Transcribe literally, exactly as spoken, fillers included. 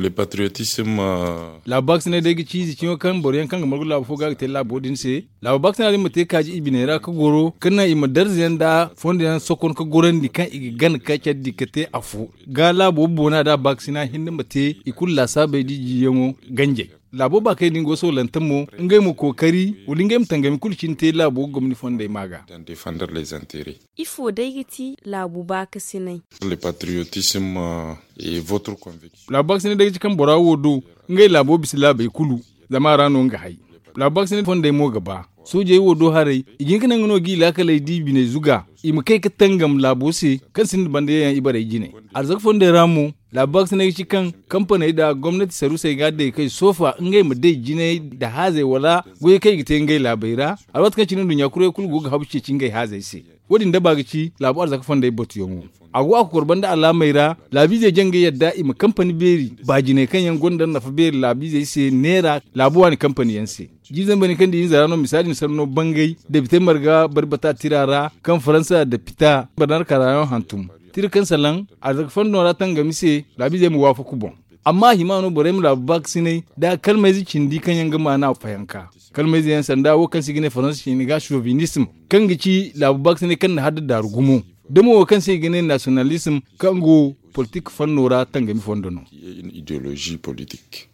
Le patriotisme. Laabu baakasinay day ga ci ize ciŋo kaŋ boro yaŋ kaŋ ga margu laabu fo ga ga te laabo din se. Laabu baakasinay din ma te kaaji i biney ra ga goro ga naŋ i ma darza yaŋ nda fondo yaŋ sokon ga gorandi kaŋ i ga gana ga care di ga te afo ga laabo boona da baakasina hinne ma te i kulu laasaabey da i jiiyaŋo ganjey. Laabo baakey din go soolante mo ngey ma kookari wala ngey ma tangami kulu cine te laabo gomni fondey ma ga. Ifo day ga ti laabu baakasinay? Le patriotisme. Et votre conviction? Laabu baakasinay day ga ci kaŋ bora wo do ngey laabo bisa laabey kulu. Zama a ra no nga hay. Laabu baakasinay fondey mo ga ba soojey wo do haray i ga hin ga naŋ ga no ga i laakaley da i biney zuga i ma kay ga tangam laabo se kaŋ sinda banda yaŋ ibarey jine. Arzaka fondey ra mo laabu baakasinay ga ci kaŋ kampaney nda gomnati sarusey ga day kay soofa ngey ma day jinay nda haazey wala goyey kaŋ i ga te ngey laabey ra. Alwaati kaŋ cine nduɲɲa kurey kulu go ga habu ceeci ngey haazey se. Wo- din daba ga ci laabu arzaka fondey batuyaŋo. A go a kokor banda alaamey ra laabiizey jaŋ ga yadda i ma kampani beeri baajiney kaŋ yaŋ gonda nafa beeri laabiizey se neera laabu waani kampani yaŋ se. Jiiri zambaney kaŋ di hinza ra no misaali ni sanno bangay depite marga bari bata tira ra kaŋ faransa depita barnar karayaŋo hantum tira kaŋ salaŋ arzaka fondo ra tangami se laabiizey ma waafaku boŋ. Amma a hima no borey ma laabu baakasinay da kalmayze cindi kaŋ yaŋ ga maana fayanka. Kalmayze yaŋ sanda wo kaŋ se i ga ne faransa ciini ga sovinism kaŋ ga ci laabu baakasinay kaŋ na hadda daaru gumo da mo wo kaŋ se i ga ne nasiyonalism kaŋ go politik fanno ra tangami fondo no. Idolozi politik.